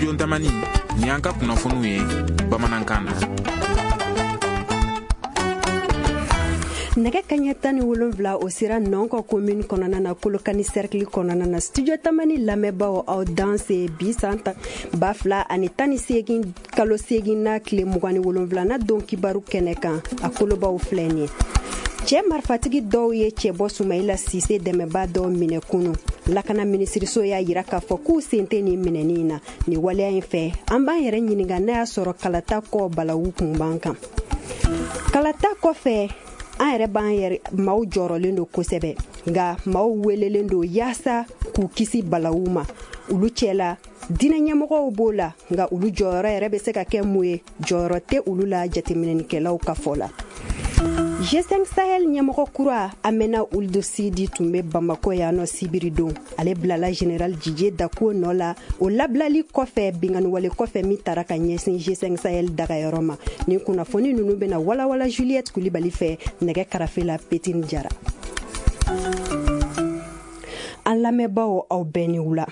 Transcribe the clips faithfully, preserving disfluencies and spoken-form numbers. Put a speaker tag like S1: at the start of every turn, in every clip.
S1: Studio Tamani, ni an ka kunnafoniw ye bamanankan na.
S2: Nɛgɛ kaɲɛ tan ni wolonwula o sera Nɔnkɔ commune kɔnɔna na, Kolokani cercle kɔnɔna na. Studio Tamani lamɛnbaaw, aw danse. Bi san ta ba fila ani tan ni seegin kalo seegin na tile mugan ni wolonwula don kibaru kɛnɛ kan, a kolobaw filɛ nin ye. Cɛ marifatigi dɔw ye cɛbɔ Sumayila Sise dɛmɛba dɔw minɛ kunu. Lakana minisiriso y'a yira k'a fɔ k'u sen tɛ nin minɛni in na. Nin waleya in fɛ, an b'an yɛrɛ ɲininka n'a y'a sɔrɔ kalata kɔ balawu kun b'an kan. Kalata kɔfɛ, an yɛrɛ b'an yɛrɛ maaw jɔrɔlen don kosɛbɛ, nka maaw welelen don yaasa k'u kisi balawu ma. Olu cɛla, diinɛ ɲɛmɔgɔw b'o la, nka olu jɔyɔrɔ yɛrɛ bɛ se ka kɛ mun ye? Jɔyɔrɔ tɛ olu la jateminɛnikɛlaw ka fɔ la. G cinq Sahel ɲɛmɔgɔ kura Amena Ould Sidi tun bɛ Bamako yan nɔ sibiri don. Ale bilala général Didier Dacko nɔ la, o labilali kɔfɛ, binganiwale kɔfɛ min tara ka ɲɛsin G cinq Sahel dagayɔrɔ ma. Nin kunnafoni ninnu bɛna walawala Juliette Kulibali fɛ, nɛgɛ karafe la Petine Jara. An lamɛnbaaw, aw bɛɛ ni wula.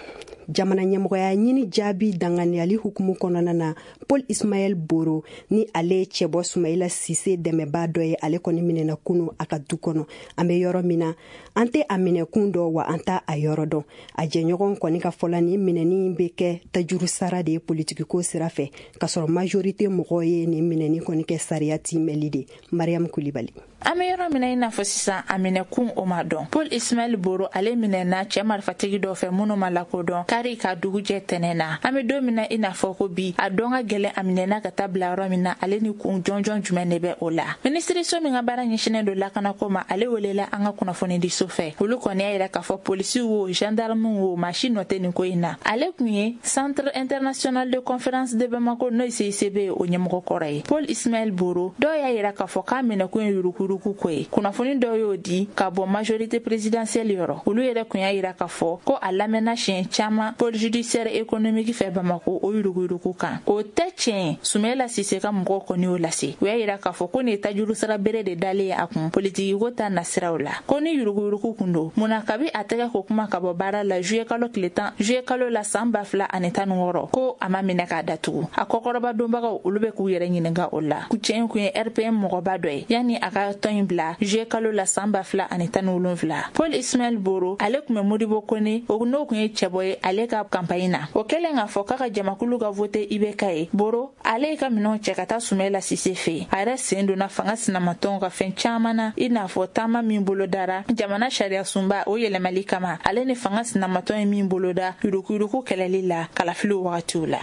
S2: Jamana ɲɛmɔgɔya ɲini jaabi danganiyali hukumu kɔnɔna na, Paul Ismael Boro, ni ale ye cɛbɔ Sumayila Sise dɛmɛbaa dɔ ye, ale kɔni minɛna kunu a ka du kɔnɔ. An bɛ yɔrɔ min na, an tɛ a minɛkun dɔn wa an t'a a yɔrɔ dɔn. A jɛɲɔgɔn kɔni ka fɔla, ni minɛni bɛ kɛ tajuru sara de ye politikiko sira fɛ, k'a sɔrɔ majorité mɔgɔw ye nin minɛni kɔni kɛ sariya timɛli de. Mariam Kulibali.
S3: An bɛ yɔrɔ min na i n'a fɔ sisan, a minɛkun o ma dɔn. Paul Ismaɛl Boro, ale minɛna cɛɛ marifatigi dɔ fɛ minnu ma lakodɔn kari ka dugujɛ tɛnɛ na. An be don min na i n'a fɔ ko bi, a dɔn ka gwɛlɛn a minɛna ka taa bila yɔrɔ min na, ale ni kun jɔnjɔn jumɛn de bɛ o la. Minisiriso min ka baara ɲɛsinen don lakanako ma, ale welela an ka kunnafonidiso fɛ. Olu kɔni y'a yira k'a fɔ polisiw wo, gendarmew wo, maa si nɔ tɛ nin ko in na. Ale kun ye Centre international de conférence de Bamako, n'o ye C I C B ye, o ɲɛmɔgɔ kɔrɔ ye, Paul Ismaɛl Boro. Dɔw y'a yira k'a fɔ k'a minɛkun ye yurukuyuruku ko ye. Kunnafoni dɔw y'o di ka bɔ majorité présidentielle yɔrɔ. Olu yɛrɛ kun y'a yira k'a fɔ ko a lamɛnna siɲɛ caman pôle judiciaire économique fɛ Bamako, o yuruguyurugu kan, o tɛ tiɲɛ. Sumayila Sise ka mɔgɔw kɔni y'o lase. U y'a yira k'a fɔ ko nin ye tajuru sara bere de dalen ye a kun politikiko ta nasiraw la. Ko ni yuruguyurugu kun don, munna kabi a tɛgɛ ko kuma ka bɔ baara la juillet kalo tile tan, juillet kalo la san ba fila ani tan ni wɔɔrɔ, ko a ma minɛ k'a datugu? A kɔkɔrɔba donbagaw, olu bɛ k'u yɛrɛ ɲininka o la. Cɛ in kun ye R P M mɔgɔba dɔ ye yanni a ka tɔn in bila juillet kalo la san ba fila ani tan ni wolonfila. Paul Ismaɛl Boro, ale kun bɛ Modibo Kone, o n'o kun ye cɛbɔ ye ale ka campagne na. O kɛlen k'a fɔ k'a ka jamakulu ka vote I B K ye, Boro ale ye ka minɛnw cɛ ka taa Sumayila Sise fɛ yen. A yɛrɛ sen donna fanga sinamatɔnw ka fɛn caman na, i n'a fɔ taama min bolodara jamana sariya sunba o yɛlɛmali kama, ale ni fanga sinamatɔn ye min boloda yurukuyuruku kɛlɛli la kalafiliw wagatiw la.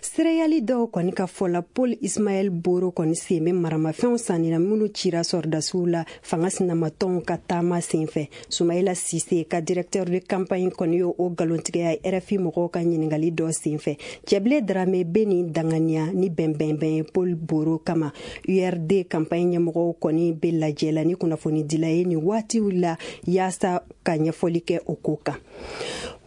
S2: Seereyali dɔw kɔni ka fɔ la, Paul Ismaɛl Boro kɔni sen bɛ maramafɛnw sanni na minnu cira sɔrɔdasiw la fanga sinamatɔnw ka taama senfɛ. Sumayila Sise ka directeur de campagne kɔni y'o o nkalontigɛya R F I mɔgɔw ka ɲiningali dɔ senfɛ. Cɛbilen Darame bɛ nin danganiya ni bɛnbɛnbɛn ye Paul Boro kama. U R D campagne ɲɛmɔgɔw kɔni bɛ lajɛ la ni kunnafonidila ye nin waatiw la yaasa ka ɲɛfɔli kɛ o ko kan.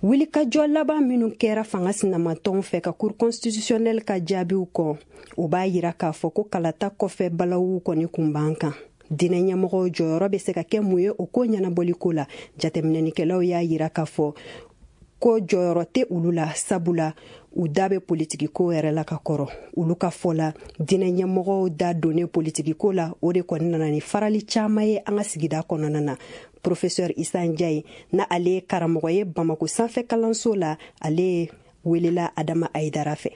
S2: Wulikajɔ laban minnu kɛra fanga sinamatɔnw fɛ ka Cour constitutionnelle ka jaabiw kɔ, o b'a yira k'a fɔ ko kalata kɔfɛ balawu kɔni kun b'an kan. Diinɛ ɲɛmɔgɔw jɔyɔrɔ bɛ se ka kɛ mun ye o ko ɲɛnabɔliko la? Jateminɛnikɛlaw y'a yira k'a fɔ ko jɔyɔrɔ tɛ olu la, sabula u da bɛ politikiko yɛrɛ la ka kɔrɔ. Olu ka fɔ la, diinɛ ɲɛmɔgɔw da donnen politikiko la, o de kɔni nana ni farali caman ye an ka sigida kɔnɔna na. Professeur Isa Njayi, na ale ye karamɔgɔ ye Bamako sanfɛ kalanso la, ale welela Adama Ayidara fɛ.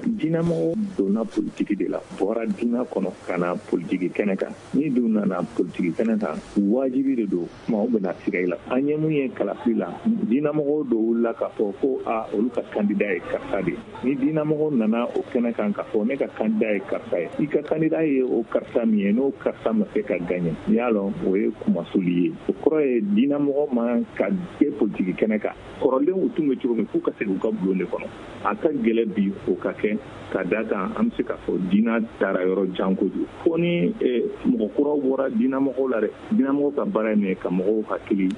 S4: Diinɛmɔgɔ donna politiki de la, bɔra diinɛ kɔnɔ ka na politiki kɛnɛ kan. Ni dun nana politiki kɛnɛ kan, wajibi de don maaw bɛna siga i la. An ye mun ye kalafili la, diinɛmɔgɔw dɔ wulila k'a fɔ ko a olu ka candidat ye karisa de. Ni diinɛmɔgɔ nana o kɛnɛ kan k'a fɔ ne ka candidat ye karisa ye, i ka candidat ye o karisa min ye, n'o karisa ma se ka gagner, i y'a lɔn o ye kumasuli ye. O kɔrɔ ye diinɛmɔgɔ man ka kɛ politiki kɛnɛ kan. Kɔrɔlen u tun bɛ cogo min, f'u ka segin u ka bulon de kɔnɔ. A ka gɛlɛ bi o ka kɛ, ka da kan an bɛ se k'a fɔ diinɛ taara yɔrɔ jan kojugu, fo ni mɔgɔ kuraw bɔra diinɛmɔgɔw la dɛ. Diinɛmɔgɔw ka baara ye min ye, ka mɔgɔw hakili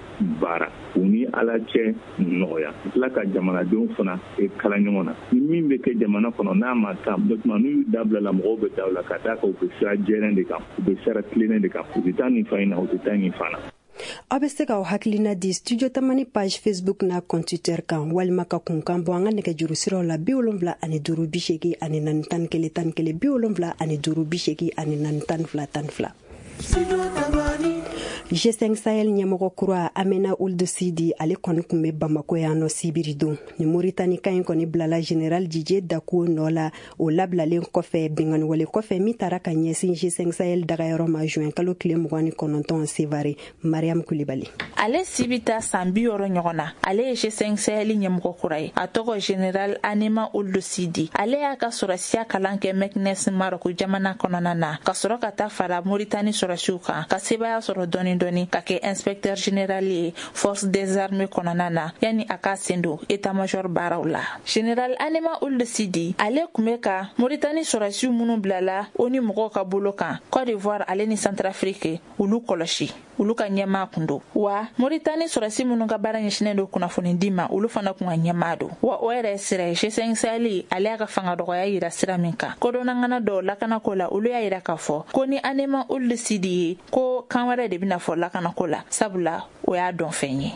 S4: baara, u ni Ala cɛ nɔgɔya, tila ka jamanadenw fana kala ɲɔgɔn na. Ni min bɛ kɛ jamana kɔnɔ n'a ma taa tuma, n'u y'u dabila la, mɔgɔw bɛ da la, ka d'a kan u bɛ sira jɛlen de kan, u bɛ sira tilennen de kan, u tɛ taa nin fan in na, u tɛ taa nin fan na.
S2: Aw bɛ se k'aw hakilina di Studio Tamani page Facebook n'a compte Twitter kan, walima ka kunkan bɔ an ka nɛgɛjuru siraw la bi wolonwula ani duuru bi seegin ani naani tan ni kelen tan ni kelen bi wolonwula ani duuru bi seegin ani naani tan ni fila tan ni fila. G cinq Sahel ɲɛmɔgɔ kura Amina Ould Sidi, ale kɔni tun bɛ Bamako yan nɔ sibiri don. Ni Moritani kan in kɔni bilala Général Didier Dakuo nɔ la, o labilalen kɔfɛ binkanniwale kɔfɛ min taara ka ɲɛsin G cinq Sahel dagayɔrɔ ma juin kalo tile mugan ni kɔnɔntɔn Sevare. Mariam Kulibali.
S3: Ale si bɛ taa san bi wɔɔrɔ ɲɔgɔn na. Ale ye G cinq Sahel ɲɛmɔgɔ kura ye. A tɔgɔ Général Anema Ould Sidi. Ale y'a ka sɔrɔsiya kalan kɛ Meknes Maroc jamana kɔnɔna na, ka sɔrɔ ka taa fara Moritani sɔrɔsiw kan, ka sebaaya sɔrɔ dɔɔni dɔɔni ka kɛ inspecteur général ye force des armées kɔnɔna na, yanni a ka sen don état-major baaraw la. Général Anema Ould Sidi, ale tun bɛ ka Moritani sɔrɔsiw minnu bilala o ni mɔgɔw ka bolo kan Côte d'Ivoire ale ni Centrafrique, olu kɔlɔsi, olu ka ɲɛmaa kun don. Wa Moritani sɔrɔsi minnu ka baara ɲɛsinnen don kunnafoni di ma, olu fana kun ka ɲɛmaa don. Wa o yɛrɛ sira ye G cinq Sahel ale y'a ka fanga dɔgɔya yira sira min kan, kodɔnnangana dɔw lakanako la, olu y'a yira k'a fɔ ko ni Anema Ould Sidi ye, ko kan wɛrɛ de bɛna fɔ lakanako la, sabula o y'a dɔn fɛn ye.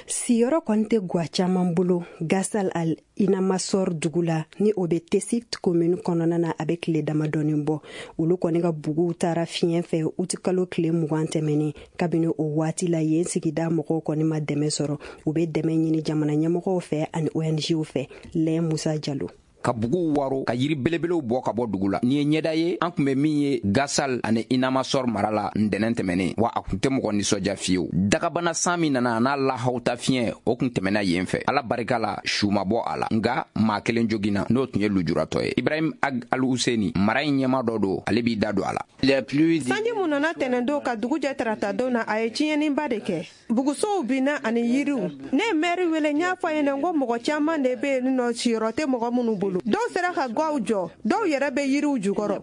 S2: Siyɔrɔ kɔni tɛ gwa caman bolo Gasal al Inamasor dugu la, ni o bɛ Tessit commune kɔnɔna na, a bɛ tile damadɔnin bɔ. Olu kɔni ka buguw taara fiɲɛ fɛ utikalo tile mugan tɛmɛnen. Kabini o waati la, yen sigida mɔgɔw kɔni ma dɛmɛ sɔrɔ. U bɛ dɛmɛ ɲini jamana ɲɛmɔgɔw fɛ ani O N G fɛ. Lɛn Musa Jalo.
S5: Ka buguw waro, ka yiri belebelew bɔ ka bɔ dugu la. Nin ye ɲɛda ye an tun bɛ min ye Gasal ani Inamasor mara la ntɛnɛn tɛmɛnen, wa a tun tɛ mɔgɔ nisɔndiya fiyewu. Dagabana san min nana a n'a lahawta fiɲɛ, o tun tɛmɛna yen fɛ. Ala barika la, su ma bɔ a la, nka maa kelen joginna, n'o tun ye lujuratɔ ye. Ibrahim Ag Al Husseini, mara in ɲɛma dɔ don, ale b'i da don a la.
S6: Sanji mun nana tɛnɛndon ka dugu jɛ taratadon na, a ye tiɲɛniba de kɛ. Bugusow binna ani yiriw. Ne ye mɛri wele, n y'a fɔ a ɲɛna ko mɔgɔ caman de bɛ yen nɔ, siyɔrɔ tɛ mɔgɔ minnu bolo. Dɔw sera ka gaw jɔ, dɔw yɛrɛ bɛ yiriw jukɔrɔ.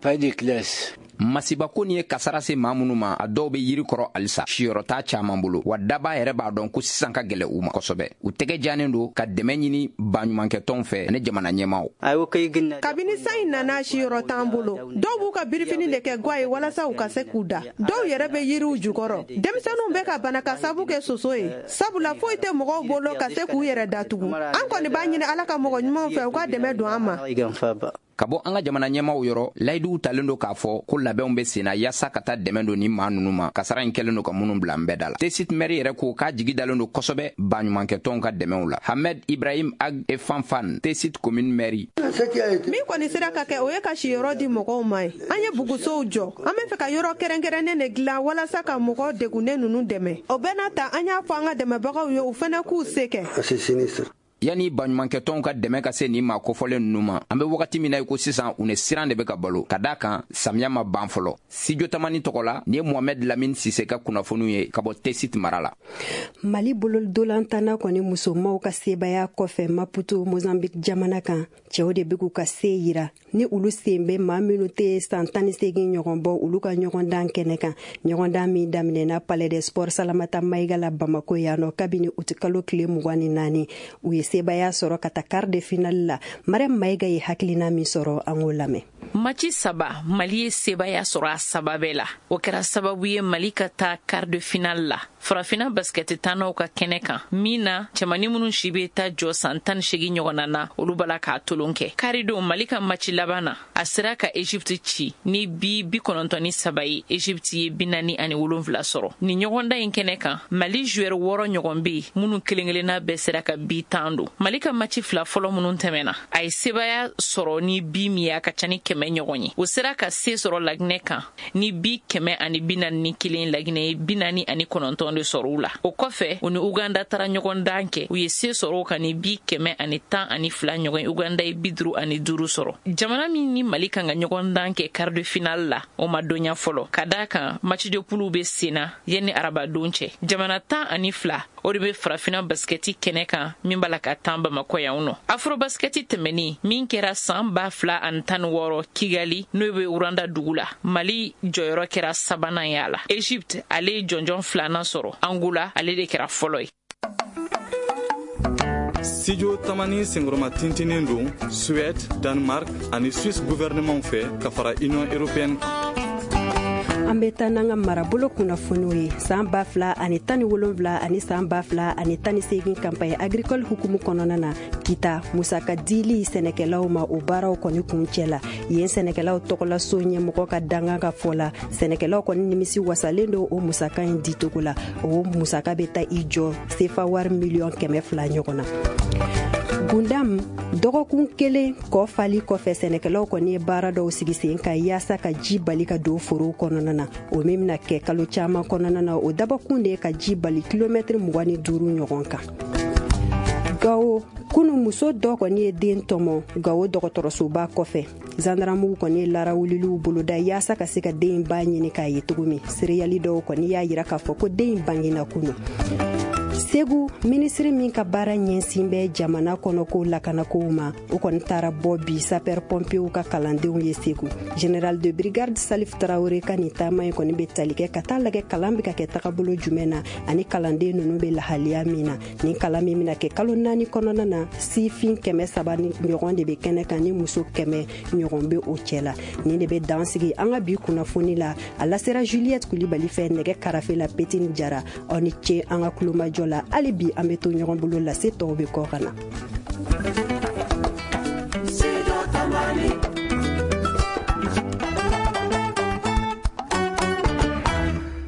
S5: Masibako nin ye kasara se maa minnu ma, a dɔw bɛ yiri kɔrɔ halisa, siyɔrɔ t'a caman bolo. Wa daba yɛrɛ b'a dɔn ko sisan ka gɛlɛ u ma kosɛbɛ. U tɛgɛ janen don ka dɛmɛ ɲini baɲumankɛtɔnw fɛ ani jamana ɲɛmaaw.
S6: Kabini san in nana, siyɔrɔ t'an bolo. Dɔw b'u ka birifini de kɛ gwa ye walasa u ka se k'u da. Dɔw yɛrɛ bɛ yiriw jukɔrɔ. Denmisɛnninw bɛ ka bana ka sabu kɛ soso ye, sabula foyi tɛ mɔgɔw bolo ka se k'u yɛrɛ datugu. An kɔni b'a ɲini Ala ka mɔgɔ ɲumanw fɛ, u ka dɛmɛ don an ma.
S5: Ka bɔ an ka jamana ɲɛmaw yɔrɔ, layiduw talen don k'a fɔ ko labɛnw bɛ senna yaasa ka taa dɛmɛ don ni maa ninnu ma, kasara in kɛlen don ka minnu bila n bɛɛ da la. Tessit mɛri yɛrɛ ko k'a jigi dalen don kosɛbɛ baɲumankɛtɔnw ka dɛmɛw la. Hamed Ibrahim Ag Efanfan, Tessit commune mairie.
S6: Min kɔni sera ka kɛ, o ye ka siyɔrɔ di mɔgɔw ma ye. An ye bugusow jɔ. An bɛ fɛ ka yɔrɔ kɛrɛnkɛrɛnnen de dilan walasa ka mɔgɔ degunnen ninnu dɛmɛ. O bɛɛ n'a ta, an y'a fɔ an ka dɛmɛbagaw ye, u fana k'u se kɛ.
S5: Yanni baɲumankɛtɔnw ka dɛmɛ ka se nin maa kofɔlen ninnu ma, an bɛ wagati min na i ko sisan, u ni siran de bɛ ka balo, ka d'a kan samiya ma ban fɔlɔ. Studio Tamani tɔgɔ la, nin ye Mohamed Lamine Sise ka kunnafoniw ye ka bɔ Tessit mara la.
S2: Mali bolodolantana kɔni musomaw ka sebaaya kɔfɛ Maputo Mozambique jamana kan, cɛw de bɛ k'u ka se yira ni olu sen bɛ maa minnu tɛ san tan ni seegin ɲɔgɔn bɔ olu ka ɲɔgɔndan kɛnɛ kan. Ɲɔgɔndan min daminɛna Palais des Sports Salamata Mayiga la Bamako yan nɔ kabini utikalo tile mugan ni naani, u ye sebaaya sɔrɔ ka taa quart de finale la. Mariam Mayiga ye hakilina min sɔrɔ, an k'o lamɛn.
S7: Maci saba, Mali ye sebaaya sɔrɔ a saba bɛɛ la. O kɛra sababu ye Mali ka taa quart de finale la farafinna basikɛti tannaw ka kɛnɛ kan, min na cɛmani minnu si bɛ taa jɔ san tan ni seegin ɲɔgɔnna na, olu b'a la k'a tolon kɛ. Karidon, Mali ka maci laban na, a sera ka Egypte ci ni bi bi kɔnɔntɔn ni saba ye. Egypte ye bi naani ani wolonfila sɔrɔ. Nin ɲɔgɔndan in kɛnɛ kan, Mali joueur wɔɔrɔ ɲɔgɔn bɛ yen minnu kelen kelenna bɛɛ sera ka bi tan don. Mali ka maci fila fɔlɔ minnu tɛmɛna, a ye sebaaya sɔrɔ ni bi min ye, a ka ca ni kɛmɛ ɲɔgɔn ye. O sera ka se sɔrɔ Laginɛ kan ni bi kɛmɛ ani bi naani ni kelen, Laginɛ ye bi naani ani kɔnɔntɔn de sɔrɔ u la. O kɔfɛ, u ni Uganda taara ɲɔgɔn dan kɛ, u ye se sɔrɔ o kan ni bi kɛmɛ ani tan ani fila ɲɔgɔn ye. Uganda ye bi duuru ani duuru sɔrɔ. Jamana min ni Mali kan ka ɲɔgɔn dan kɛ quart de finale la, o ma dɔnya fɔlɔ, ka d'a kan match de poule bɛ sen na yanni arabadon cɛ. Jamana tan ani fila o de bɛ farafinna basikɛti kɛnɛ kan min b'a la ka tan Bamakɔ yan nɔ. Afro basikɛti tɛmɛni min kɛra san ba fila ani tan ni wɔɔrɔ Kigali, n'o bɛ Rwanda dugu la, Mali jɔyɔrɔ kɛra sabanan ye a la. Egypte ale ye jɔnjɔn filanan sɔrɔ, Angola ale de kɛra fɔlɔ ye.
S8: Studio Tamani senkɔrɔma tintinen don Suède, Danemark ani Suisse gouvernement fɛ ka fara Union européenne kan.
S2: An bɛ taa n'an ka marabolo kunnafoniw ye. San ba fila ani tan ni wolonwula ani san ba fila ani tan ni seegin campagne agricole hukumu kɔnɔna na, Kita musaka dili sɛnɛkɛlaw ma, o baaraw kɔni kuncɛ la. Yen sɛnɛkɛlaw tɔgɔlaso ɲɛmɔgɔ ka dangan ka fɔ la, sɛnɛkɛlaw kɔni nimisi wasalen don o musaka in dicogo la. O musaka bɛ taa i jɔ sefa wari miliyɔn kɛmɛ fila ɲɔgɔn na. Gundam, dɔgɔkun kelen kɔ fali kɔfɛ, sɛnɛkɛlaw kɔni ye baara dɔw sigi sen kan yaasa ka ji bali ka don forow kɔnɔna na. O min bɛna kɛ kalo caman kɔnɔna na, o dabɔkun de ye ka ji bali kilomɛtiri mugan ni duuru ɲɔgɔn kan. Gawo, kunu muso dɔ kɔni ye den tɔmɔ Gawo dɔgɔtɔrɔsoba kɔfɛ. Zandaramugu kɔni ye larawuliliw boloda yaasa ka se ka den ba ɲini k'a ye cogo min. Seereyali dɔw kɔni y'a yira k'a fɔ ko den in bangena kunu. Segu, minisiri min ka baara ɲɛsin bɛ jamana kɔnɔko lakanakow ma, o kɔni taara bɔ bi sapeur pompiers ka kalandenw ye Segu. Général de brigade Salif Traoré ka nin taama in kɔni bɛ tali kɛ ka taa lajɛ kalan bɛ ka kɛ tagabolo jumɛn na ani kalanden ninnu bɛ lahaliya min na. Nin kalan min bɛna kɛ kalo naani kɔnɔna na, sifin kɛmɛ saba ni ɲɔgɔn de bɛ kɛnɛ kan ni muso kɛmɛ ɲɔgɔn bɛ o cɛ la. Nin de bɛ dan sigi an ka bi kunnafoni la. A lasera Juliette Kulibali fɛ nɛgɛ karafe la, Petini Jara. Aw ni ce an ka kulomajɔ la. Hali bi an bɛ to ɲɔgɔn bolo, lase tɔw bɛ kɔ ka na.